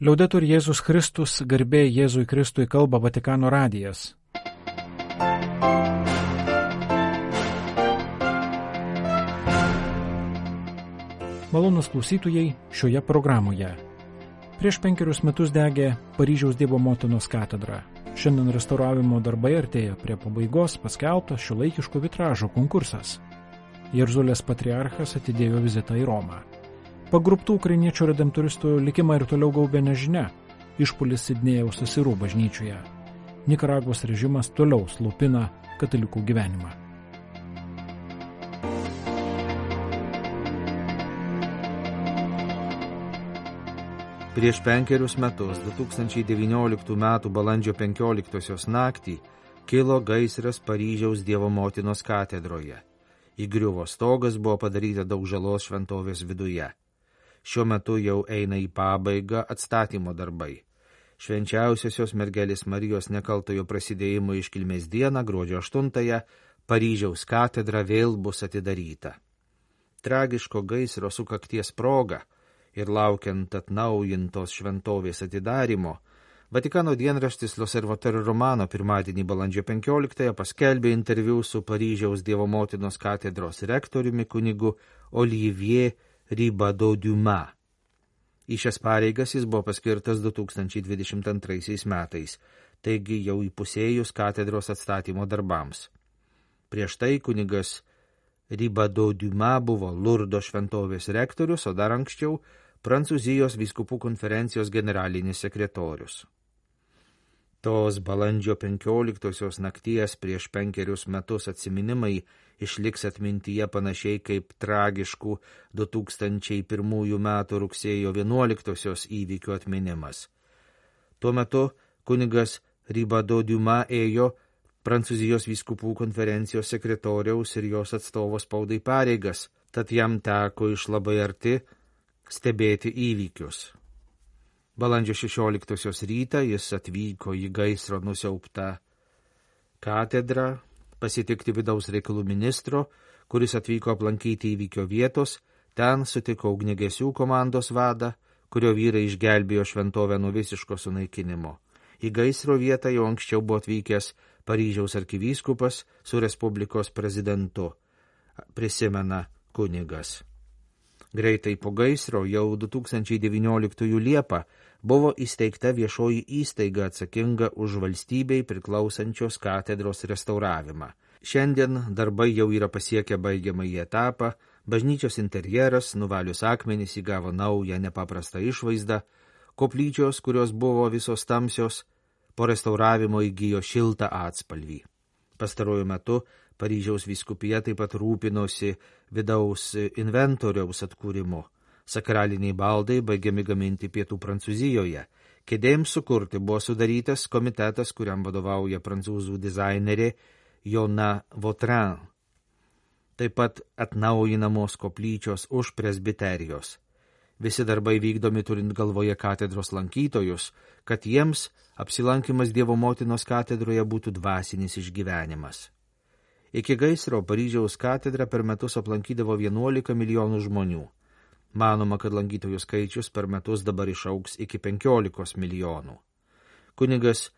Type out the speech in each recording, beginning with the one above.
Liaudetur Jėzus Kristus, garbė Jėzui Kristui, kalba Vatikano radijas. Malonūs klausytojai šioje programoje. Prieš 5 metus degė Paryžiaus Dievo Motinos katedra. Šiandien restauravimo darbai artėja prie pabaigos, paskelbtas šiuolaikiško vitražo konkursas. Jeruzalės patriarchas atidėjo vizitą į Romą. Pagruptų ukrainiečių redemptoristų likimą ir toliau gaubė nežinia. Išpuolis Sidnėjaus Asirų bažnyčioje. Nikaragvos režimas toliau slopina katalikų gyvenimą. Prieš 5 metus, 2019 m. balandžio 15 naktį, kilo gaisras Paryžiaus Dievo Motinos katedroje. Įgriuvo stogas, buvo padaryta daug žalos šventovės viduje. Šiuo metu jau eina į pabaigą atstatymo darbai. Švenčiausiosios mergelės Marijos nekaltojo prasidėjimo iškilmės dieną, gruodžio 8-ąją, Paryžiaus katedra vėl bus atidaryta. Tragiško gaisro sukakties proga ir laukiant atnaujintos šventovės atidarymo, Vatikano dienraštis L'Osservatore Romano pirmadienį balandžio 15-ąją paskelbė interviu su Paryžiaus Dievo Motinos katedros rektoriumi kunigu Olivier Ribado-Dumas. Į šias pareigas jis buvo paskirtas 2022 metais, taigi jau įpusėjus katedros atstatymo darbams. Prieš tai kunigas Ribado-Dumas buvo Lurdo šventovės rektorius, o dar anksčiau Prancūzijos vyskupų konferencijos generalinis sekretorius. Tos balandžio 15 nakties prieš 5 metus atsiminimai išliks atmintyje panašiai kaip tragiškų 2001 metų rugsėjo 11 įvykių atminimas. Tuo metu kunigas Ribado-Dumas ėjo Prancūzijos vyskupų konferencijos sekretoriaus ir jos atstovo spaudai pareigas, tad jam teko iš labai arti stebėti įvykius. Balandžio 16 rytą jis atvyko į gaisro nusiaubtą katedrą, pasitikti vidaus reikalų ministro, kuris atvyko aplankyti įvykio vietos, ten sutiko ugniagesių komandos vadą, kurio vyrai išgelbėjo šventovę nuo visiško sunaikinimo. Į gaisro vietą jau anksčiau buvo atvykęs Paryžiaus arkivyskupas su Respublikos prezidentu, prisimena kunigas. Greitai po gaisro jau 2019 Liepą buvo įsteigta viešoji įstaiga atsakinga už valstybei priklausančios katedros restauravimą. Šiandien darbai jau yra pasiekę baigiamąjį etapą, bažnyčios interjeras, nuvalius akmenis, įgavo naują nepaprastą išvaizdą, koplyčios, kurios buvo visos tamsios, po restauravimo įgijo šiltą atspalvį. Pastaruoju metu Paryžiaus vyskupija taip pat rūpinosi vidaus inventoriaus atkūrimu. Sakraliniai baldai baigiami gaminti pietų Prancūzijoje. Kėdėms sukurti buvo sudarytas komitetas, kuriam vadovauja prancūzų dizainerė Jona Vautrin. Taip pat atnaujinamos koplyčios už presbiterijos. Visi darbai vykdomi turint galvoje katedros lankytojus, kad jiems apsilankimas Dievo Motinos katedroje būtų dvasinis išgyvenimas. Iki gaisro Paryžiaus katedrą per metus aplankydavo 11 milijonų žmonių. Manoma, kad lankytojų skaičius per metus dabar išaugs iki 15 milijonų. Kunigas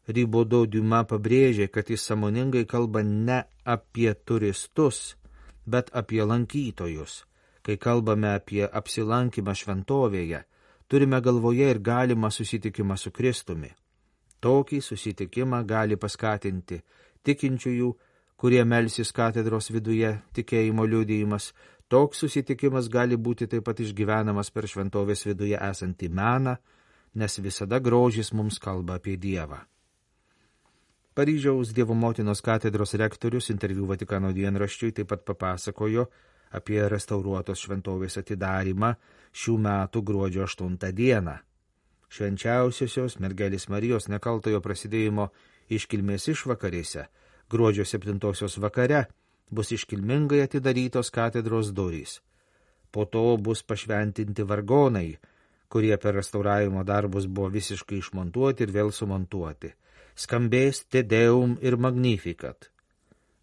Ribado-Dumas pabrėžė, kad jis sąmoningai kalba ne apie turistus, bet apie lankytojus. Kai kalbame apie apsilankymą šventovėje, turime galvoje ir galimą susitikimą su Kristumi. Tokį susitikimą gali paskatinti tikinčiųjų, kurie melsis katedros viduje, tikėjimo liudijimas. Toks susitikimas gali būti taip pat išgyvenamas per šventovės viduje esantį meną, nes visada grožis mums kalba apie Dievą. Paryžiaus Dievo Motinos katedros rektorius interviu Vatikano dienraščiui taip pat papasakojo apie restauruotos šventovės atidarymą šių metų gruodžio 8 dieną. Švenčiausiosios mergelės Marijos nekaltojo prasidėjimo iškilmės išvakarėse, gruodžio 7 vakare, bus iškilmingai atidarytos katedros durys. Po to bus pašventinti vargonai, kurie per restauravimo darbus buvo visiškai išmontuoti ir vėl sumontuoti. Skambės Te Deum ir Magnificat.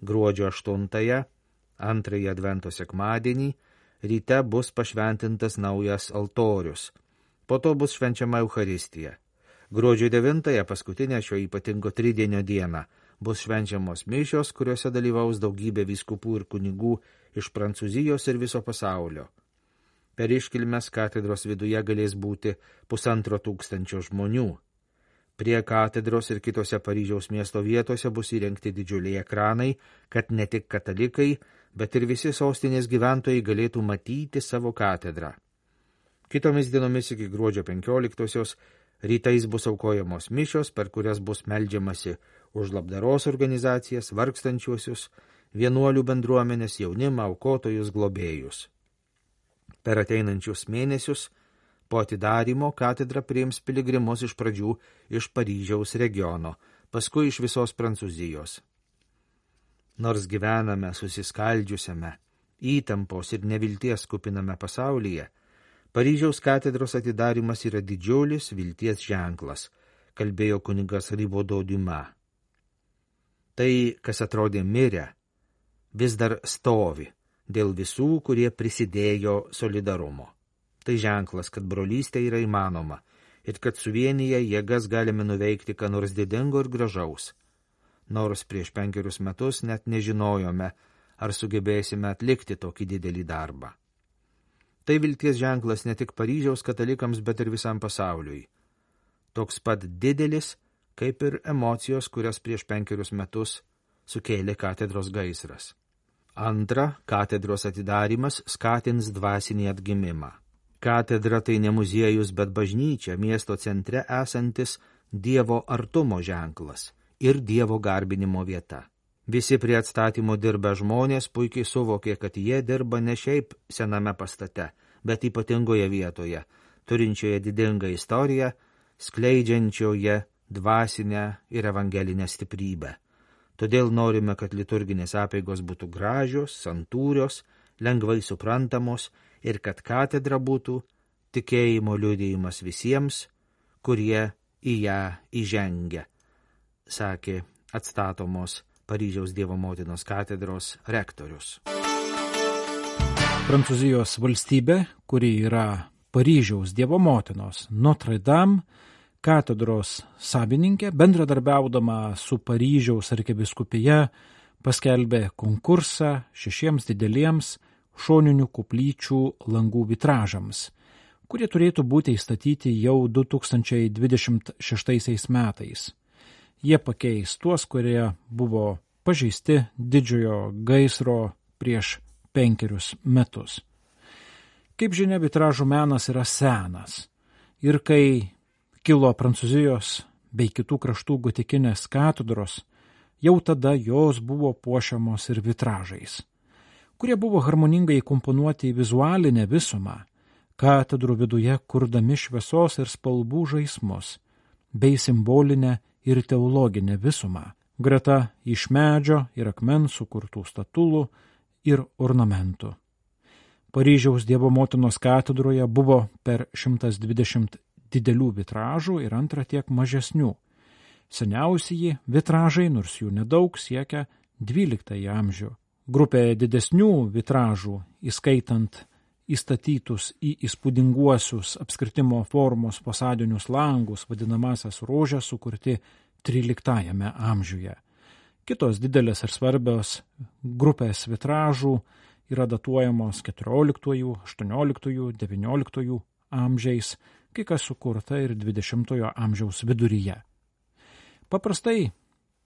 Gruodžio 8-ąją, 2 advento sekmadienį, ryte bus pašventintas naujas altorius. Po to bus švenčiama Eucharistija. Gruodžio 9-ąją, paskutinę šio ypatingo tridienio dieną, bus švenčiamos mišios, kuriuose dalyvaus daugybė vyskupų ir kunigų iš Prancūzijos ir viso pasaulio. Per iškilmes katedros viduje galės būti 1500 žmonių. Prie katedros ir kitose Paryžiaus miesto vietose bus įrengti didžiuliai ekranai, kad ne tik katalikai, bet ir visi sostinės gyventojai galėtų matyti savo katedrą. Kitomis dienomis iki gruodžio 15-osios rytais bus aukojamos mišios, per kurias bus meldžiamasi už labdaros organizacijas, vargstančiuosius, vienuolių bendruomenės, jaunimą, aukotojus, globėjus. Per ateinančius mėnesius po atidarymo katedra priims piligrimus iš pradžių iš Paryžiaus regiono, paskui iš visos Prancūzijos. Nors gyvename susiskaldžiusiame, įtampos ir nevilties kupiname pasaulyje, Paryžiaus katedros atidarymas yra didžiulis vilties ženklas, kalbėjo kunigas Ribodo Diuma. Tai, kas atrodė mirę, vis dar stovi dėl visų, kurie prisidėjo solidarumo. Tai ženklas, kad brolystė yra įmanoma ir kad suvienyje jėgas galime nuveikti ką nors didingo ir gražaus. Nors prieš 5 metus net nežinojome, ar sugebėsime atlikti tokį didelį darbą. Tai vilties ženklas ne tik Paryžiaus katalikams, bet ir visam pasauliui. Toks pat didelis, kaip ir emocijos, kurias prieš 5 metus sukėlė katedros gaisras. Antra, katedros atidarymas skatins dvasinį atgimimą. Katedra tai ne muziejus, bet bažnyčia, miesto centre esantis Dievo artumo ženklas ir Dievo garbinimo vieta. Visi prie atstatymo dirbę žmonės puikiai suvokė, kad jie dirba ne šiaip sename pastate, bet ypatingoje vietoje, turinčioje didingą istoriją, skleidžiančioje dvasinę ir evangelinę stiprybę. Todėl norime, kad liturginės apeigos būtų gražios, santūrios, lengvai suprantamos ir kad katedra būtų tikėjimo liudijimas visiems, kurie į ją įžengia, sakė atstatomos Paryžiaus Dievo motinos katedros rektorius. Prancūzijos valstybė, kuri yra Paryžiaus Dievo motinos Notre Dame katedros savininkė, bendradarbiaudama su Paryžiaus arkivyskupija, paskelbė konkursą 6 dideliems šoninių koplyčių langų vitražams, kurie turėtų būti įstatyti jau 2026 metais. Jie pakeis tuos, kurie buvo pažeisti didžiojo gaisro prieš 5 metus. Kaip žinia, vitražų menas yra senas ir kai kilo Prancūzijos bei kitų kraštų gotikinės katedros, jau tada jos buvo puošiamos ir vitražais, kurie buvo harmoningai įkomponuoti į vizualinę visumą, katedrų viduje kurdami šviesos ir spalvų žaismus, bei simbolinę ir teologinę visumą, greta iš medžio ir akmens sukurtų statulų ir ornamentų. Paryžiaus Dievo motinos katedroje buvo per 120 didelių vitražų ir antra tiek mažesnių. Seniausieji vitražai, nors jų nedaug, siekia 12 amžių. Grupė didesnių vitražų, įskaitant įstatytus į įspūdinguosius apskritimo formos fasadinius langus, vadinamasias rožes, sukurti 13 amžiuje. Kitos didelės ir svarbios grupės vitražų yra datuojamos 14, 18, 19 amžiais, kai kas sukurta ir 20 amžiaus viduryje. Paprastai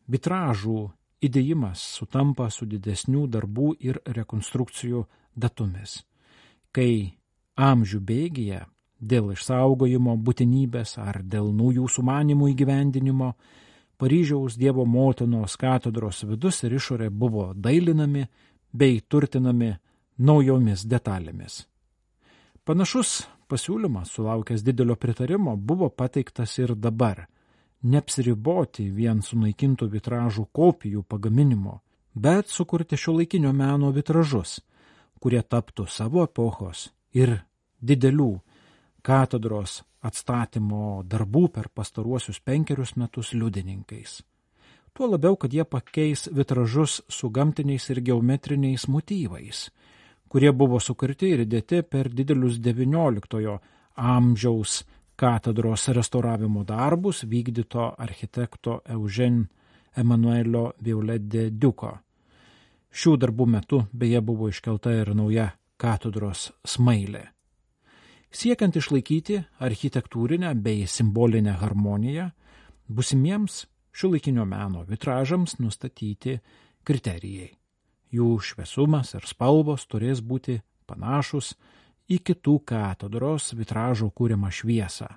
vitražų įdėjimas sutampa su didesnių darbų ir rekonstrukcijų datomis, kai amžių bėgyje dėl išsaugojimo būtinybės ar dėl naujų sumanymų įgyvendinimo Paryžiaus Dievo motinos katedros vidus ir išorė buvo dailinami bei turtinami naujomis detalėmis. Panašus pasiūlymas, sulaukęs didelio pritarimo, buvo pateiktas ir dabar – neapsiriboti vien sunaikintų vitražų kopijų pagaminimo, bet sukurti šiuolaikinio meno vitražus, kurie taptų savo epochos ir didelių katedros atstatymo darbų per pastaruosius 5 metus liudininkais. Tuo labiau, kad jie pakeis vitražus su gamtiniais ir geometriniais motyvais, kurie buvo sukurti ir įdėti per didelius XIX amžiaus katedros restauravimo darbus vykdyto architekto Eugène Emmanuelio Viollet de Duco. Šių darbų metu beje buvo iškelta ir nauja katedros smailė. Siekiant išlaikyti architektūrinę bei simbolinę harmoniją, būsimiems šiuolaikinio meno vitražams nustatyti kriterijai. Jų šviesumas ir spalvos turės būti panašus į kitų katedros vitražo kūrimą šviesą.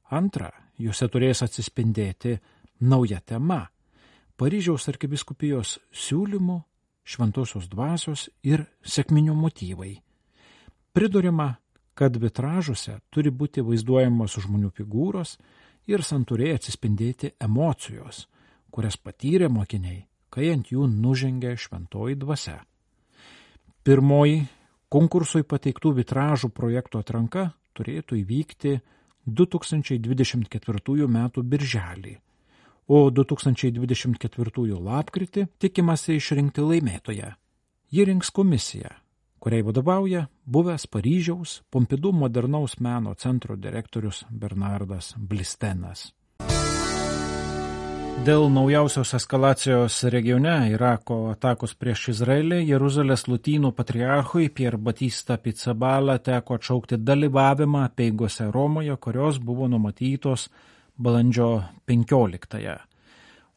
Antra, juose turės atsispindėti nauja tema – Paryžiaus arkivyskupijos siūlymų, šventosios dvasios ir sekminių motyvai. Priduriama, kad vitražuose turi būti vaizduojamos žmonių figūros ir santūriai atsispindėti emocijos, kurias patyrė mokiniai, kai ant jų nužengė šventoji dvasia. Pirmoji konkursui pateiktų vitražų projektų atranka turėtų įvykti 2024 m. birželį, o 2024 lapkritį tikimasi išrinkti laimėtoją. Ji rinks komisiją, kuriai vadovauja buvęs Paryžiaus Pompidou modernaus meno centro direktorius Bernardas Blistenas. Dėl naujausios eskalacijos regione Irako atakos prieš Izraelį Jeruzalės lotynų patriarchui Pier Batista Pizzaballa teko atšaukti dalyvavimą apeigose Romoje, kurios buvo numatytos balandžio 15-ąją.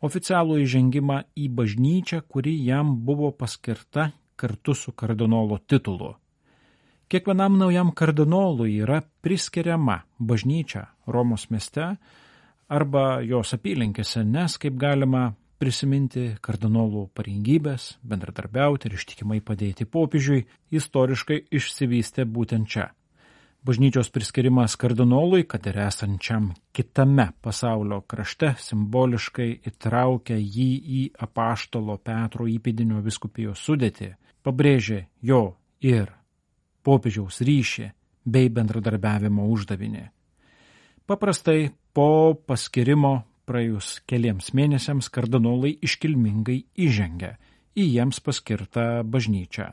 Oficialų įžengimą į bažnyčią, kuri jam buvo paskirta kartu su kardinolo titulu. Kiekvienam naujam kardinolui yra priskiriama bažnyčia Romos mieste arba jos apylinkėse, nes, kaip galima prisiminti, kardinolų pareigybės, bendradarbiauti ir ištikimai padėti popiežiui, istoriškai išsivystė būtent čia. Bažnyčios priskirimas kardinolui, kad ir esančiam kitame pasaulio krašte, simboliškai įtraukia jį į apaštalo Petro įpėdinio vyskupijos sudėtį, pabrėžė jo ir popiežiaus ryšį bei bendradarbiavimo uždavinį. Paprastai po paskirimo praėjus keliems mėnesiams kardinolai iškilmingai įžengia į jiems paskirtą bažnyčią.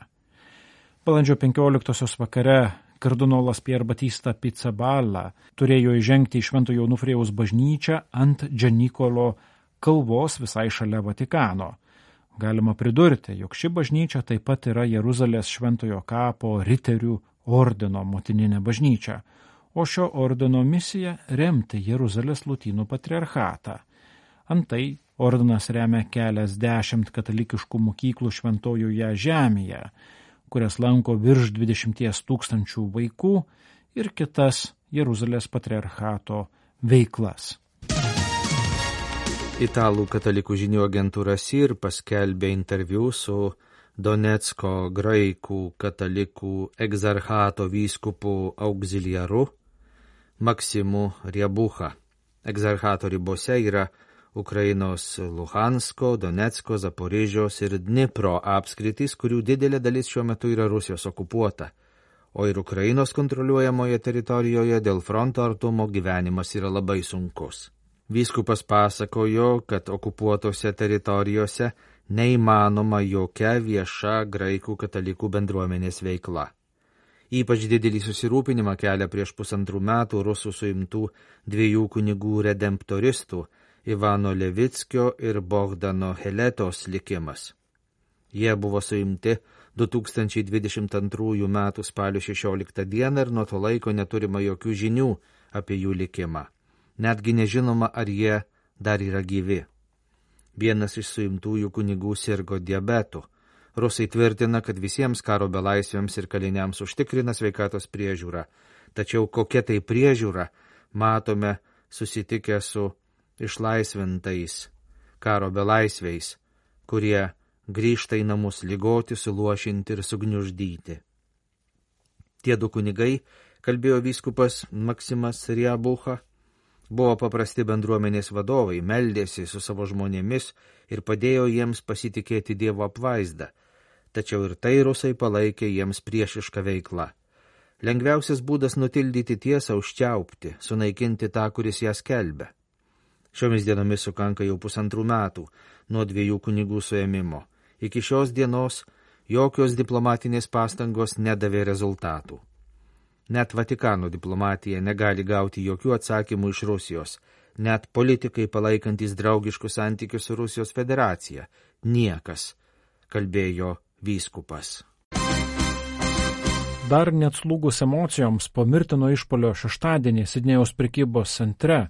Balandžio 15-osios vakare kardinolas Pier Batista Pizzaballa turėjo įžengti į Šventojo Onufrijaus bažnyčią ant Džanikolo kalvos visai šalia Vatikano. Galima pridurti, jog ši bažnyčia taip pat yra Jeruzalės Šventojo kapo riterių ordino motininė bažnyčia, o šio ordino misija remti Jeruzalės lotynų patriarchatą. Antai ordinas remia keliasdešimt katalikiškų mokyklų šventojoje žemėje, kurias lanko virš 20 000 vaikų ir kitas Jeruzalės patriarchato veiklas. Italų katalikų žinių agentūra SIR paskelbė interviu su Donecko graikų katalikų egzarchato vyskupu auxiliaru Maksimu Riebucha. Egzarchato ribose yra Ukrainos Luhansko, Donecko, Zaporižiaus ir Dnipro apskritys, kurių didelė dalis šiuo metu yra Rusijos okupuota, o ir Ukrainos kontroliuojamoje teritorijoje dėl fronto artumo gyvenimas yra labai sunkus. Vyskupas pasakojo, kad okupuotose teritorijose neįmanoma jokia vieša graikų katalikų bendruomenės veikla. Ypač didelį susirūpinimą kelia prieš 1,5 metų rusų suimtų 2 kunigų redemptoristų Ivano Levickio ir Bogdano Heletos likimas. Jie buvo suimti 2022 m. spalio 16 d. ir nuo to laiko neturima jokių žinių apie jų likimą. Netgi nežinoma, ar jie dar yra gyvi. Vienas iš suimtųjų kunigų sirgo diabetu. Rusai tvirtina, kad visiems karo belaisviams ir kaliniams užtikrina sveikatos priežiūrą. Tačiau kokia tai priežiūra, matome susitikę su išlaisvintais karo belaisviais, kurie grįžta į namus ligoti, suluošinti ir sugniuždyti. Tie 2 kunigai, kalbėjo vyskupas Maksimas Riebucha, buvo paprasti bendruomenės vadovai, meldėsi su savo žmonėmis ir padėjo jiems pasitikėti Dievo apvaizdą, tačiau ir tai rusai palaikė jiems priešišką veiklą. Lengviausias būdas nutildyti tiesą užčiaupti, sunaikinti tą, kuris ją skelbia. Šiomis dienomis sukanka jau 1,5 metų nuo 2 kunigų suėmimo. Iki šios dienos jokios diplomatinės pastangos nedavė rezultatų. Net Vatikano diplomatija negali gauti jokių atsakymų iš Rusijos. Net politikai palaikantis draugiškus santykius su Rusijos federacija. Niekas, kalbėjo vyskupas. Dar net slūgus emocijoms po mirtino išpolio šeštadienį Sidnėjaus prekybos centre,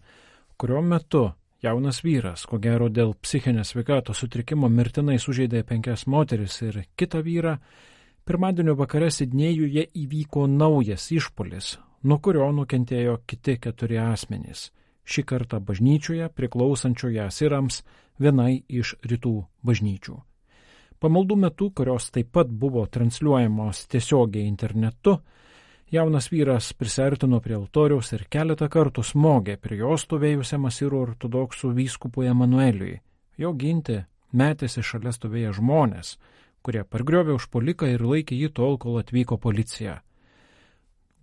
kurio metu jaunas vyras, ko gero dėl psichinės sveikatos sutrikimo, mirtinai sužeidė 5 moteris ir kitą vyrą, pirmadienio vakare Sidnėjuje įvyko naujas išpolis, nuo kurio nukentėjo kiti 4 asmenys. Šį kartą bažnyčioje priklausančioje asirams, vienai iš rytų bažnyčių. Pamaldų metu, kurios taip pat buvo transliuojamos tiesiogiai internetu, jaunas vyras prisiartino prie altoriaus ir keletą kartų smogė prie jo stovėjusiam asirų ortodoksų vyskupui Emanueliui. Jo ginti metėsi šalia stovėję žmonės, kurie pargriovė užpuoliką ir laikė jį tol, kol atvyko policija.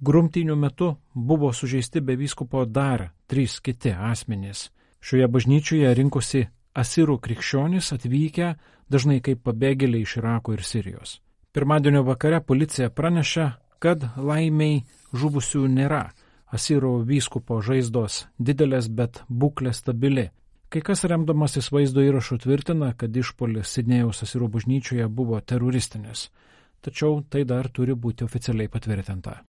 Grumtynių metu buvo sužeisti be vyskupo dar 3 kiti asmenys. Šioje bažnyčioje rinkosi asirų krikščionys atvykę dažnai kaip pabėgėliai iš Irako ir Sirijos. Pirmadienio vakare policija pranešė, kad laimiai žuvusių nėra. Asirų vyskupo žaizdos didelės, bet būklė stabili. Kai kas remdamasis vaizdo įrašu tvirtina, kad išpuolis Sidnėjaus asirų bažnyčioje buvo teroristinis. Tačiau tai dar turi būti oficialiai patvirtinta.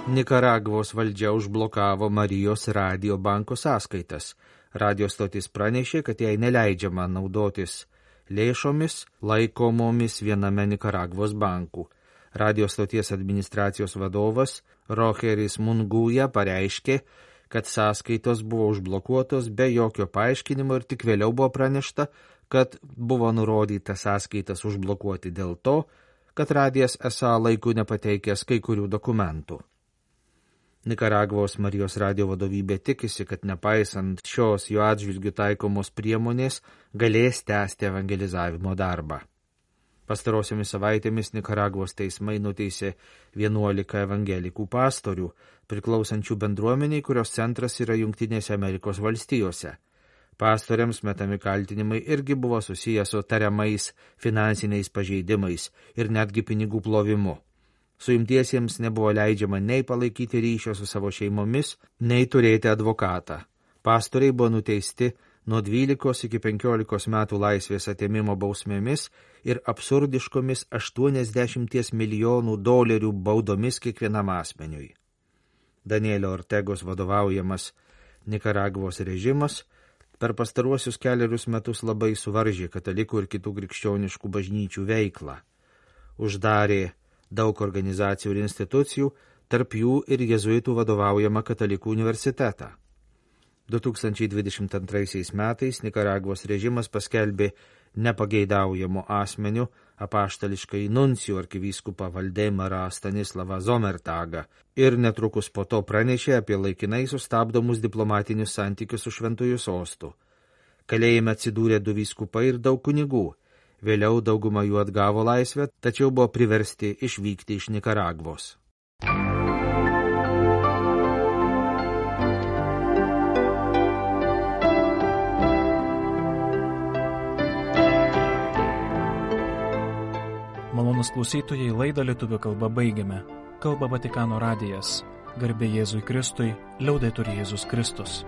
Nikaragvos valdžia užblokavo Marijos radio banko sąskaitas. Radio stotis pranešė, kad jai neleidžiama naudotis lėšomis laikomomis viename Nikaragvos bankų. Radio stoties administracijos vadovas Rogeris Munguja pareiškė, kad sąskaitos buvo užblokuotos be jokio paaiškinimo ir tik vėliau buvo pranešta, kad buvo nurodyta sąskaitas užblokuoti dėl to, kad radijas esą laiku nepateikęs kai kurių dokumentų. Nikaragvos Marijos radio vadovybė tikisi, kad nepaisant šios jo atžvilgių taikomos priemonės galės tęsti evangelizavimo darbą. Pastarosiomis savaitėmis Nikaragvos teismai nuteisė 11 evangelikų pastorių, priklausančių bendruomeniai, kurios centras yra Jungtinėse Amerikos valstijose. Pastoriams metami kaltinimai irgi buvo susiję su tariamais finansiniais pažeidimais ir netgi pinigų plovimu. Suimtiesiems nebuvo leidžiama nei palaikyti ryšio su savo šeimomis, nei turėti advokatą. Pastoriai buvo nuteisti nuo 12 iki 15 metų laisvės atėmimo bausmėmis ir absurdiškomis $80 milijonų baudomis kiekvienam asmeniui. Danielio Ortegos vadovaujamas Nikaragvos režimas per pastaruosius 4 metus labai suvaržė katalikų ir kitų krikščioniškų bažnyčių veiklą. Uždarė daug organizacijų ir institucijų, tarp jų ir jezuitų vadovaujama katalikų universitetą. 2022 metais Nikaragvos režimas paskelbė nepageidaujamų asmenių apaštališkai nuncijų arkivyskupą Valdemarą Stanislavą Zomertagą ir netrukus po to pranešė apie laikinai sustabdomus diplomatinius santykius su Šventuoju sostu. Kalėjime atsidūrė 2 vyskupai ir daug kunigų. Vėliau dauguma jų atgavo laisvę, tačiau buvo priversti išvykti iš Nikaragvos. Malonūs klausytojai, laidą lietuvių kalba baigiame. Kalba Vatikano radijas. Garbė Jėzui Kristui, liaudetur Jėzus Kristus.